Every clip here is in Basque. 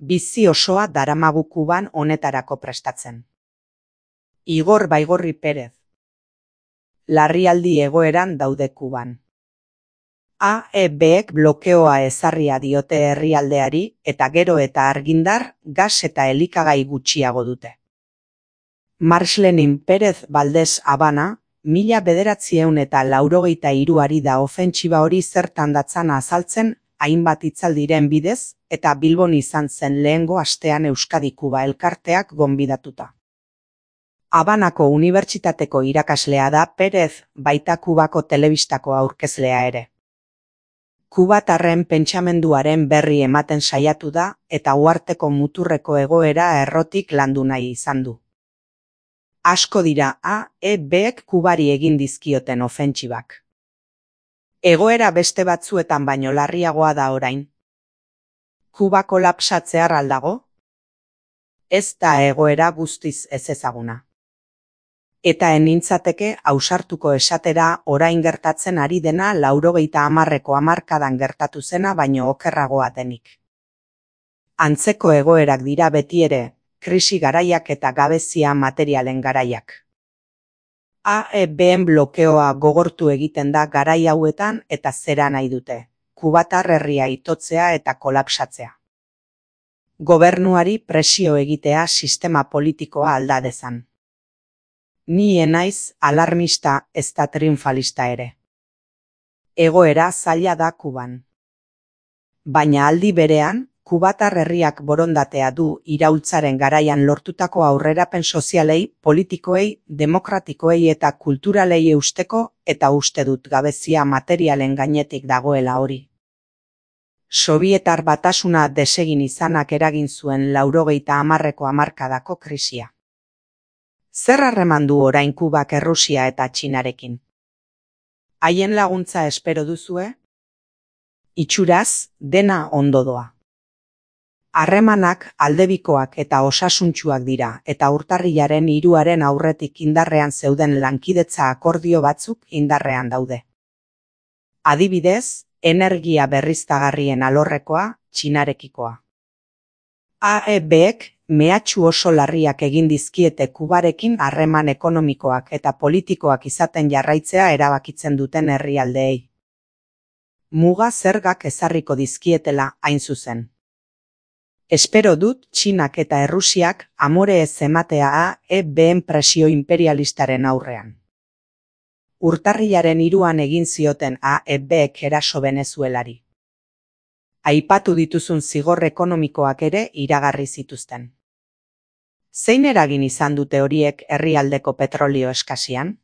Bizi osoa daramagu Kuban honetarako prestatzen. Igor Baigorri Perez. Larrialdi egoeran daude Kuban. AEBek blokeoa ezarria diote herrialdeari eta gero eta argindar, gas eta elikagai gutxiago dute. Marxlenin Perez Valdez Habana, 1983 da ofentsiba hori zertan datzan azaltzen hainbat hitzaldiren bidez eta Bilbon izan zen lehengo astean Euskadi-Kuba elkarteak gonbidatuta. Habanako unibertsitateko irakaslea da Perez, baita Kubako telebistako aurkezlea ere. Kubatarren pentsamenduaren berri ematen saiatu da eta uharteko muturreko egoera errotik landu nahi izan du. Asko dira AEBek Kubari egin dizkioten ofentsibak. Egoera beste batzuetan baino larriagoa da orain. Kuba kolapsatzear aldago? Ez da egoera guztiz ezezaguna. Eta enintzateke ausartuko esatera orain gertatzen ari dena 90ko hamarkadan gertatu zena baino okerragoa denik. Antzeko egoerak dira beti ere, krisi garaiak eta gabezia materialen garaiak. AEBen blokeoa gogortu egiten da garai hauetan eta zera nahi dute, kubatar herria itotzea eta kolapsatzea. Gobernuari presio egitea sistema politikoa alda dezan. Ni enaiz alarmista ezta triunfalista ere. Egoera zaila da Kuban. Baina aldi berean, kubatar herriak borondatea du iraultzaren garaian lortutako aurrerapen sozialei, politikoei, demokratikoei eta kulturalei eusteko eta uste dut gabezia materialen gainetik dagoela hori. Sobietar batasuna desegin izanak eragin zuen 90ko hamarkadako krisia. Zer harreman du orain Kubak Errusia eta Txinarekin? Haien laguntza espero duzue? Itxuraz, dena ondo doa. Harremanak aldebikoak eta osasuntsuak dira eta urtarrilaren 3 aurretik indarrean zeuden lankidetza akordio batzuk indarrean daude. Adibidez, energia berriztagarrien alorrekoa, Txinarekikoa. AEBek mehatxu oso larriak egin dizkiete Kubarekin harreman ekonomikoak eta politikoak izaten jarraitzea erabakitzen duten herrialdeei. Muga zergak ezarriko dizkietela hain zuzen. Espero dut Txinak eta Errusiak amore ez ematea AEBen presio imperialistaren aurrean. Urtarrilaren 3 egin zioten AEBek eraso Venezuelari. Aipatu dituzun zigor ekonomikoak ere iragarri zituzten. Zein eragin izan dute horiek herrialdeko petrolio eskasian?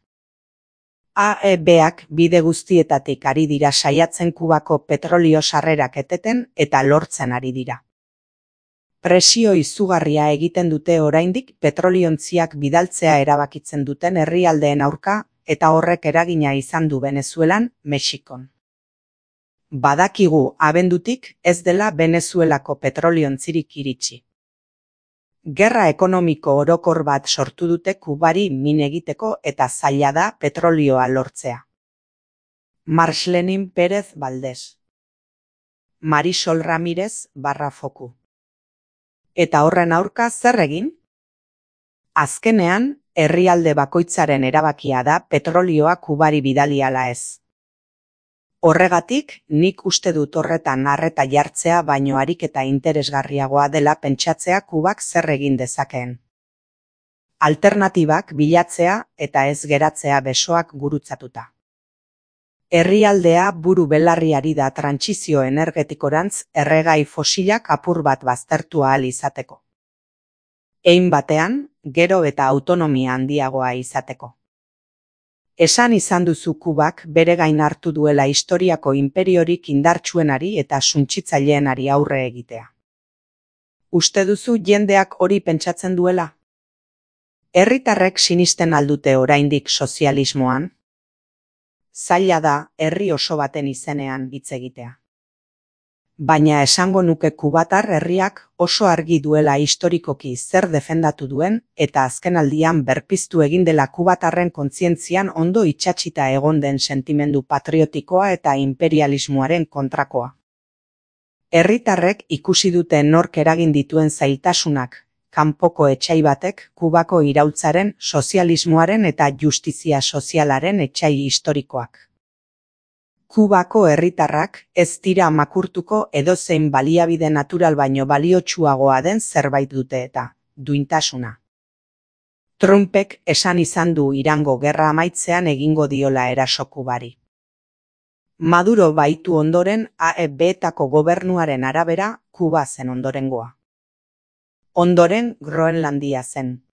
AEBak bide guztietatik ari dira saiatzen Kubako petrolio sarrerak eteten eta lortzen ari dira. Presio izugarria egiten dute oraindik petroliontziak bidaltzea erabakitzen duten herrialdeen aurka eta horrek eragina izan du Venezuelan, Mexikon. Badakigu abendutik ez dela Venezuelako petroliontzirik iritsi. Gerra ekonomiko orokor bat sortu dute Kubari min egiteko eta zaila da petrolioa lortzea. Marxlenin Perez Valdez. Marisol Ramirez Barrafoku. Eta horren aurka zer egin? Azkenean, herrialde bakoitzaren erabakia da petrolioa Kubari bidali ala ez. Horregatik, nik uste dut horretan arreta jartzea baino ariketa interesgarriagoa dela pentsatzea Kubak zer egin dezakeen. Alternatibak bilatzea eta ez geratzea besoak gurutzatuta. Herrialdea buru belarriari da trantsizio energetikorantz erregai fosilak apur bat baztertu ahal izateko. Hein batean, gero eta autonomia handiagoa izateko. Esan izan duzu Kubak bere gain hartu duela historiako inperiorik indartsuenari eta suntsitzaileenari aurre egitea. Uste duzu jendeak hori pentsatzen duela? Herritarrek sinisten aldute oraindik sozialismoan? Zaila da herri oso baten izenean hitz egitea. Baina esango nuke kubatar herriak oso argi duela historikoki zer defendatu duen eta azkenaldian berpiztu egin dela kubatarren kontzientzian ondo itsatsita egon den sentimendu patriotikoa eta imperialismoaren kontrakoa. Herritarrek ikusi dute nork eragin dituen zailtasunak, kanpoko etsai batek Kubako iraultzaren, sozialismoaren eta justizia sozialaren etsai historikoak. Kubako herritarrak ez dira makurtuko edozein baliabide natural baino baliotsuagoa den zerbait dute eta duintasuna. Trumpek esan izan du Irango gerra amaitzean egingo diola eraso Kubari. Maduro baitu ondoren AEB-etako gobernuaren arabera Kuba zen ondorengoa. Ondoren Groenlandia zen.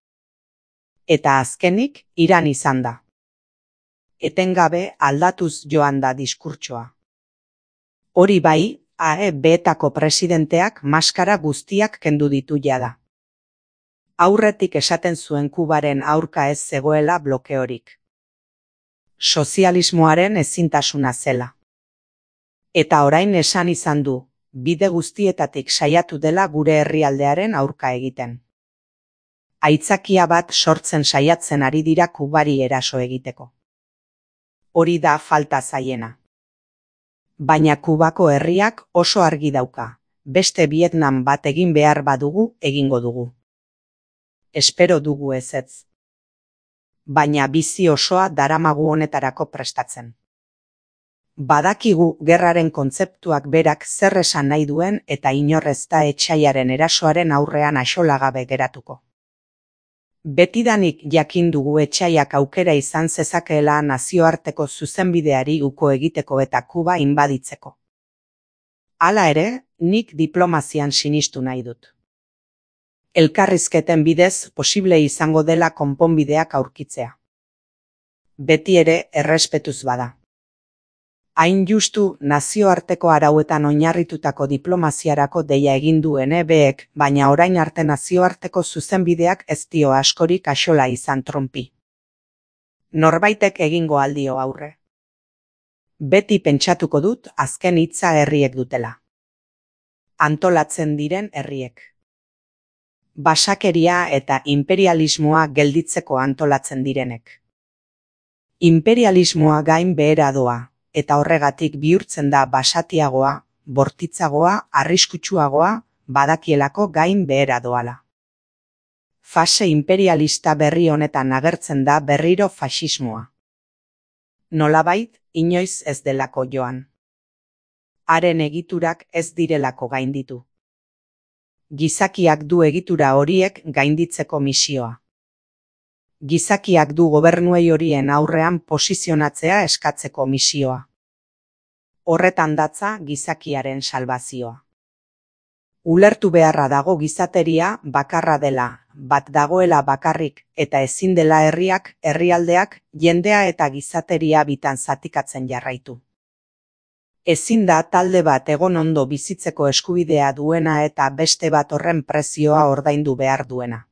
Eta azkenik Iran izan da. Etengabe aldatuz joan da diskurtsoa. Hori bai, AEB-etako presidenteak maskara guztiak kendu ditu jada. Aurretik esaten zuen Kubaren aurka ez zegoela blokeorik. Sozialismoaren ezintasuna zela. Eta orain esan izan du, bide guztietatik saiatu dela gure herrialdearen aurka egiten. Aitzakia bat sortzen saiatzen ari dira Kubari eraso egiteko. Hori da falta zaiena. Baina Kubako herriak oso argi dauka, beste Vietnam bat egin behar badugu egingo dugu. Espero dugu ezetz. Baina bizi osoa daramagu honetarako prestatzen. Badakigu gerraren kontzeptuak berak zer esan nahi duen eta inor ez da etsaiaren erasoaren aurrean axolagabe geratuko. Betidanik jakin dugu etsaiak aukera izan zezakeela nazioarteko zuzenbideari uko egiteko eta Kuba inbaditzeko. Hala ere, nik diplomazian sinistu nahi dut. Elkarrizketen bidez posible izango dela konponbideak aurkitzea. Beti ere errespetuz bada. Hain justu nazioarteko arauetan oinarritutako diplomaziarako deia egin duen EBek, baina orain arte nazioarteko zuzenbideak ez dio askorik axola izan Trumpi. Norbaitek egingo aldio aurre. Beti pentsatuko dut azken hitza herriek dutela. Antolatzen diren herriek. Basakeria eta imperialismoa gelditzeko antolatzen direnek. Imperialismoa gain behera doa. Eta horregatik bihurtzen da basatiagoa, bortitzagoa, arriskutsuagoa, badakielako gain behera doala. Fase imperialista berri honetan agertzen da berriro faxismoa. Nolabait, inoiz ez delako joan. Haren egiturak ez direlako gainditu. Gizakiak du egitura horiek gainditzeko misioa. Gizakiak du gobernuei horien aurrean posizionatzea eskatzeko misioa. Horretan datza gizakiaren salbazioa. Ulertu beharra dago gizateria bakarra dela, bat dagoela bakarrik eta ezin dela herriak, herrialdeak, jendea eta gizateria bitan zatikatzen jarraitu. Ezin da talde bat egon ondo bizitzeko eskubidea duena eta beste bat horren prezioa ordaindu behar duena.